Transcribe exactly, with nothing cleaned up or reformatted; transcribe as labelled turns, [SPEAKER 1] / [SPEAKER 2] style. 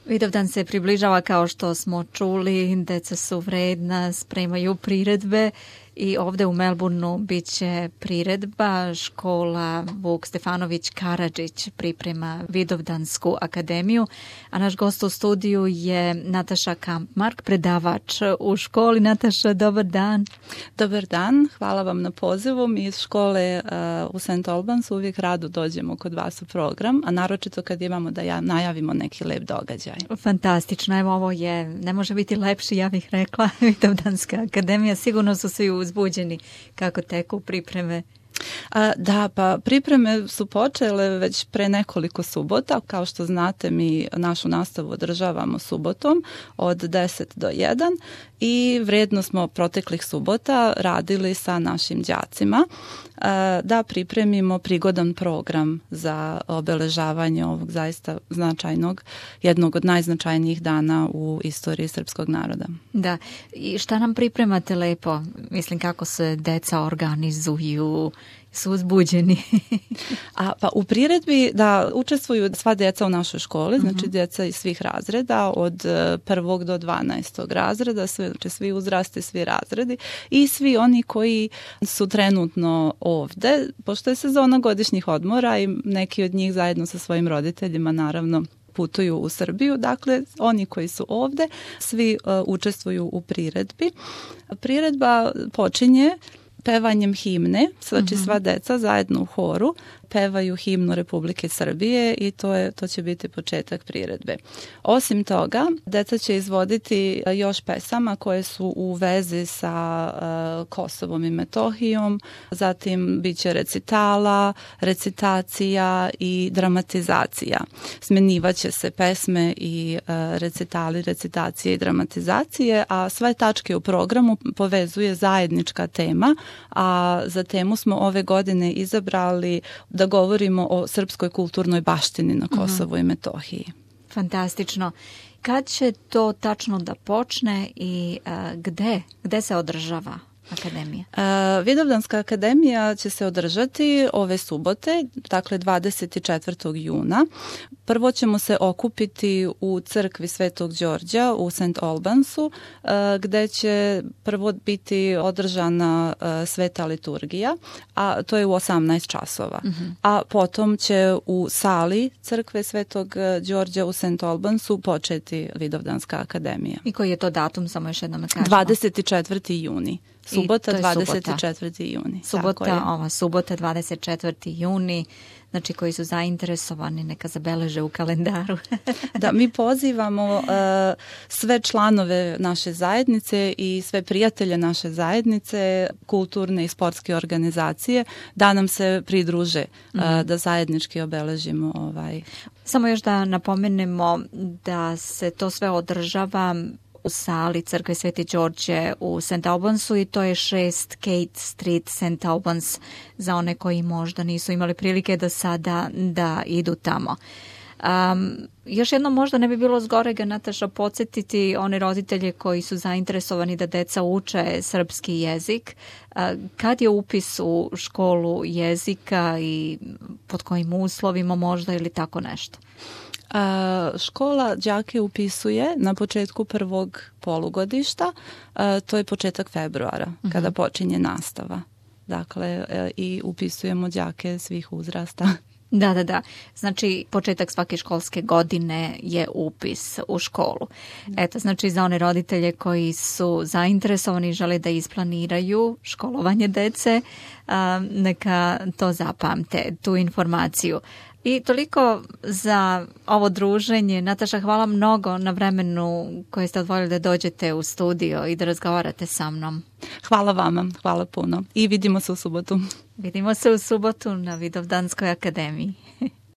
[SPEAKER 1] Vidovdan se približava, kao što smo čuli, deca su vredna, spremaju priredbe i ovde u Melbourneu bit će priredba. Škola Vuk Stefanović Karadžić priprema Vidovdansku akademiju, a naš gost u studiju je Nataša Kampmark, predavač u školi. Nataša, dobar dan.
[SPEAKER 2] Dobar dan, hvala vam na pozivu. Mi iz škole uh, u Saint Albans uvijek rado dođemo kod vas u program, a naročito kad imamo da ja, najavimo neki lep događaj.
[SPEAKER 1] Fantastično, evo ovo je, ne može biti lepši, ja bih rekla, Vidovdanska akademija. Sigurno su svi uzbuđeni kako teku pripreme.
[SPEAKER 2] A, da, pa pripreme su počele već pre nekoliko subota. Kao što znate, mi našu nastavu održavamo subotom od deset do jedan i vrijedno smo proteklih subota radili sa našim đacima a, da pripremimo prigodan program za obeležavanje ovog zaista značajnog, jednog od najznačajnijih dana u istoriji srpskog naroda.
[SPEAKER 1] Da, i šta nam pripremate lepo? Mislim, kako se deca organizuju, su uzbuđeni.
[SPEAKER 2] A, pa u priredbi da učestvuju sva djeca u našoj školi, znači uh-huh. djeca iz svih razreda, od prvog do dvanaestog razreda, sve, znači svi uzrasti, svi razredi i svi oni koji su trenutno ovde, pošto je sezona godišnjih odmora i neki od njih zajedno sa svojim roditeljima naravno putuju u Srbiju, dakle oni koji su ovde, svi uh, učestvuju u priredbi. Priredba počinje pevanjem himne, znači uh-huh. sva deca zajedno u horu pevaju himnu Republike Srbije i to je to će biti početak priredbe. Osim toga, deca će izvoditi još pesama koje su u vezi sa uh, Kosovom i Metohijom, zatim biće recitala, recitacija i dramatizacija. Smjenjivaće se pesme i uh, recitali, recitacije i dramatizacije, a sve tačke u programu povezuje zajednička tema, a za temu smo ove godine izabrali da govorimo o srpskoj kulturnoj baštini na Kosovu mm-hmm. i Metohiji.
[SPEAKER 1] Fantastično. Kad će to tačno da počne i a, gde? Gde se održava akademija?
[SPEAKER 2] Uh, Vidovdanska akademija će se održati ove subote, dakle dvadeset četvrtog juna. Prvo ćemo se okupiti u crkvi Svetog Đorđa u Saint Albansu, uh, gde će prvo biti održana uh, sveta liturgija, a to je u osamnaest časova. Uh-huh. A potom će u sali crkve Svetog Đorđa u Saint Albansu početi Vidovdanska akademija.
[SPEAKER 1] I koji je to datum, samo još jednom kažemo?
[SPEAKER 2] dvadeset četvrti juni. Subota, dvadeset četvrti juni.
[SPEAKER 1] Subota, ova subota, dvadeset četvrti juni. Znači, koji su zainteresovani, neka zabeleže u kalendaru.
[SPEAKER 2] Da, mi pozivamo uh, sve članove naše zajednice i sve prijatelje naše zajednice, kulturne i sportske organizacije, da nam se pridruže, uh, mm. da zajednički obeležimo ovaj.
[SPEAKER 1] Samo još da napomenemo da se to sve održava u sali crkve Sveti Đorđe u Saint Albansu i to je šest Kate Street, Saint Albans, za one koji možda nisu imali prilike da sada da idu tamo. Um, još jedno možda ne bi bilo zgorega, Nataša, podsjetiti one roditelje koji su zainteresovani da deca uče srpski jezik. Uh, kad je upis u školu jezika i pod kojim uslovima možda ili tako nešto?
[SPEAKER 2] A, škola đake upisuje na početku prvog polugodišta, a, to je početak februara, uh-huh. kada počinje nastava. Dakle, a, i upisujemo đake svih uzrasta.
[SPEAKER 1] Da, da, da. Znači, početak svake školske godine je upis u školu. Eto, znači, za one roditelje koji su zainteresovani i žele da isplaniraju školovanje dece, a, neka to zapamte, tu informaciju. I toliko za ovo druženje. Nataša, hvala mnogo na vremenu koje ste odvojili da dođete u studio i da razgovarate sa mnom.
[SPEAKER 2] Hvala vama, hvala puno. I vidimo se u subotu.
[SPEAKER 1] Vidimo se u subotu na Vidovdanskoj akademiji.